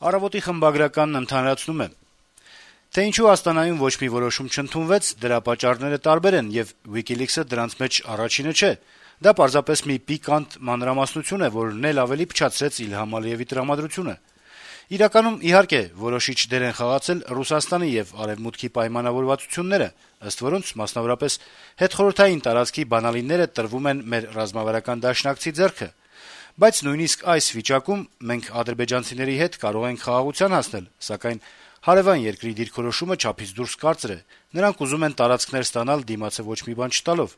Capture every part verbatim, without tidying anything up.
Առավոտի խմբագրականն ընդհանրացնում է. Թե ինչու Աստանայում ոչ մի որոշում չընդունվեց, դրա պատճառները տարբեր են, եւ WikiLeaks-ը դրանց մեջ առաջինը չէ։ Դա պարզապես մի պիկանտ մանրամասնություն է, որն էլ ավելի փչացրեց Իլհամ Ալիևի տրամադրությունը։ Իրականում, իհարկե, որոշիչ դեր են խաղացել Ռուսաստանի եւ Արեւմուտքի պայմանավորվածությունները, ըստ որոնց, մասնավորապես, հետխորհրդային տարածքի բանալիները տրվում են մեր ռազմավարական դաշնակցի ձեռքը։ Բայց նույնիսկ այս վիճակում մենք ադրբեջանցիների հետ կարող ենք խաղաղության հասնել, սակայն հարեւան երկրի դիրքորոշումը չափից դուրս կարծր է։ Նրանք ուզում են տարածքներ ստանալ դիմացը ոչ մի բան չտալով։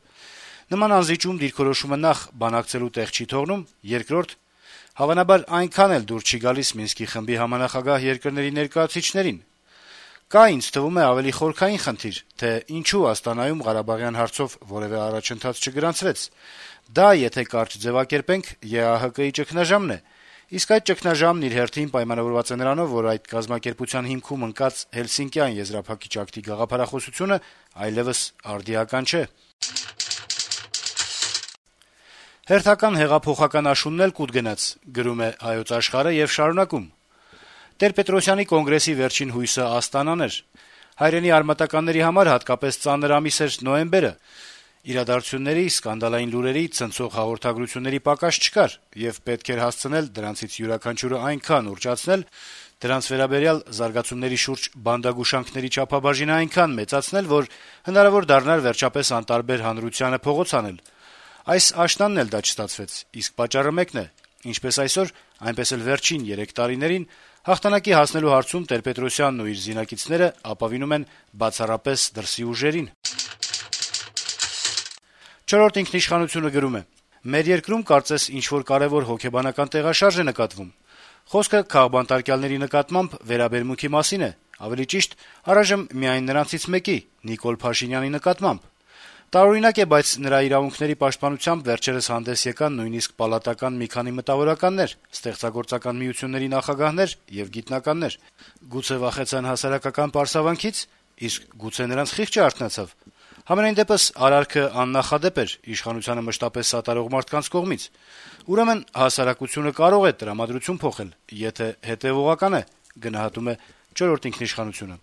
Նման անզիջում դիրքորոշումը նախ բանակցելու տեղ չի թողնում, երկրորդ, հավանաբար այնքան էլ դուր չի գալիս Մինսկի խմբի համանախագահ երկրների ներկայացուցիչներին։ Կա, ինձ թվում է, ավելի խորքային խնդիր, թե ինչու Աստանայում Ղարաբաղյան հարցով որեւէ առաջընթաց չգրանցվեց։ Դա, եթե կարճ ձեւակերպենք, ԵԱՀԿ-ի ճգնաժամն է, իսկ այդ ճգնաժամն իր հերթին պայմանավորված է նրանով, որ այդ կազմակերպության հիմքում ընկած Հելսինկյան եզրափակիչ ակտի գաղափարախոսությունը այլեւս արդիական չէ։ Հերթական հեղափոխական աշունն էլ կուտ գնաց, գրում է Հայոց Աշխարհը եւ շարունակում. Տեր-Պետրոսյանի կոնգրեսի վերջին հույսը Աստանան էր։ Հայրենի արմատականների համար հատկապես ծանր ամիս էր նոյեմբերը։ Իրադարձությունների, սկանդալային լուրերի, ցնցող հաղորդագրությունների պակաս չկար, եւ պետք էր հասցնել դրանցից յուրաքանչյուրը այնքան ուռճացնել, դրանց վերաբերյալ զարգացումների շուրջ բանդագուշանքների չափաբաժինը այնքան մեծացնել, որ հնարավոր դառնար վերջապես անտարբեր հանրությանը փողոց անել։ Այս աշնանն էլ դա չստացվեց, իսկ պատճառը մեկն է. ինչպես այսօր, այնպես էլ վերջին երեք տարիներին հաղթանակի հասնելու հարցում Տեր-Պետրոսյանն ու իր զինակիցները ապավինում են բացառապես դրսի ուժերին։ Չորրորդ ինքնիշխանությունը գրում է. Մեր երկրում կարծես ինչ-որ կարեւոր հոգեբանական տեղաշարժ է նկատվում։ Խոսքը քաղբանտարկյալների նկատմամբ վերաբերմունքի մասին է, ավելի ճիշտ, առայժմ միայն նրանցից մեկի՝ Նիկոլ Փաշինյանի նկատմամբ։ Տարօրինակ է, բայց նրա իրավունքների պաշտպանությամբ վերջերս հանդես եկան նույնիսկ պալատական մի քանի մտավորականներ, ստեղծագործական միությունների նախագահներ եւ գիտնականներ։ Գուցե վախեցան հասարակական պարսավանքից, իսկ գուցե նրանց խիղճը արթնացավ։ Համենայն դեպս արարքը աննախադեպ էր իշխանությանը մշտապես սատարող մարդկանց կողմից։ Ուրեմն հասարակությունը կարող է տրամադրություն փոխել, եթե հետեւողական է, գնահատում է չորրորդ ինքնիշխանությունը։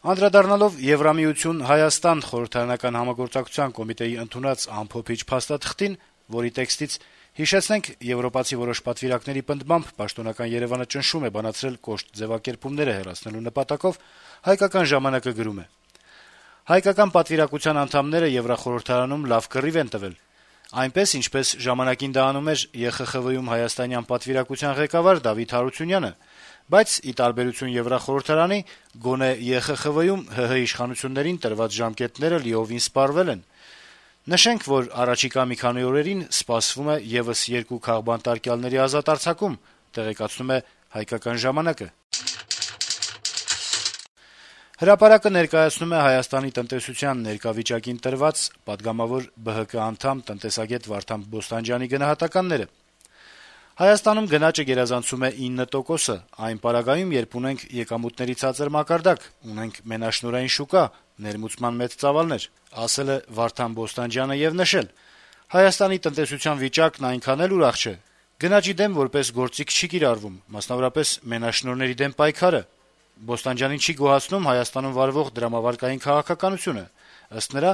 Անդրադառնալով Եվրամիություն Հայաստան խորհրդարանական համագործակցության կոմիտեի ընդունած ամփոփիչ փաստաթղթին, որի տեքստից հիշեցնենք, եվրոպացի որոշ պատվիրակների պնդմամբ պաշտոնական Երեւանը ճնշում է բանացրել կոշտ ձեւակերպումները հեռացնելու նպատակով, Հայկական ժամանակը գրում է. Հայկական պատվիրակության անդամները Եվրախորհրդարանում լավ կռիվ են տվել։ Այնպես, ինչպես ժամանակին դա անում էր ԵԽԽՎ-ում հայաստանյան պատվիրակության ղեկավար Դավիթ Հարությունյանը, բայց ի տարբերություն Եվրախորհրդարանի, գոնե ԵԽԽՎ-ում ՀՀ իշխանություններին տրված ժամկետները լիովին սպառվել են։ Նշենք, որ առաջիկա մի քանի օրերին սպասվում է եւս երկու քաղբանտարկյալների ազատ արձակում, տեղեկացնում է Հայկական ժամանակը։ Հրապարակը ներկայացնում է Հայաստանի տնտեսության ներկայվիճակին տրված պատգամավոր ԲՀԿ անդամ տնտեսագետ Վարդան Բոստանջյանի գնահատականները։ Հայաստանում գնաճը գերազանցում է ինը տոկոսը, այն պարագայում, երբ ունենք եկամուտների ցածր մակարդակ, ունենք մենաշնորհային շուկա, ներմուծման մեծ ծավալներ, ասել է Վարդան Բոստանջյանը եւ նշել. Հայաստանի տնտեսության վիճակն այնքան էլ ուրախ չէ։ Գնաճի դեմ որպես գործիք չի կիրառվում, մասնավորապես մենաշնորհների դեմ պայքարը։ Բոստանջյանին չի գոհացնում Հայաստանում վարվող դրամավարկային քաղաքականությունը։ Ըստ նրա,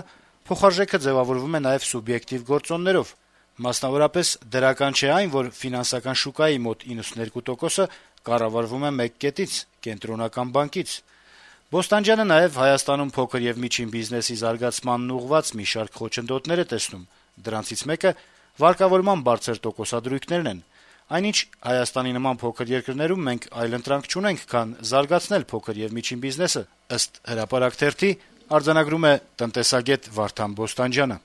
փոխարժեքը ձևավորվում է նաեւ սուբյեկտիվ գործոններով։ Մասնավորապես դրական չէ այն, որ ֆինանսական շուկայի մոտ իննսունհինգ տոկոսը կառավարվում է մեկ կետից՝ կենտրոնական բանկից։ Բոստանջյանը նաեւ Հայաստանում փոքր եւ միջին բիզնեսի զարգացմանն ուղղված մի շարք խոչընդոտներ է տեսնում։ Դրանցից մեկը վարկավորման բարձր տոկոսադրույքներն են։ Այնինչ Հայաստանի նման փոքր երկրներում մենք այլընտրանք չունենք, քան զարգացնել փոքր եւ միջին բիզնեսը, ըստ Հրապարակ թերթի արձանագրում է տնտեսագետ Վարդան Բոստանջյանը։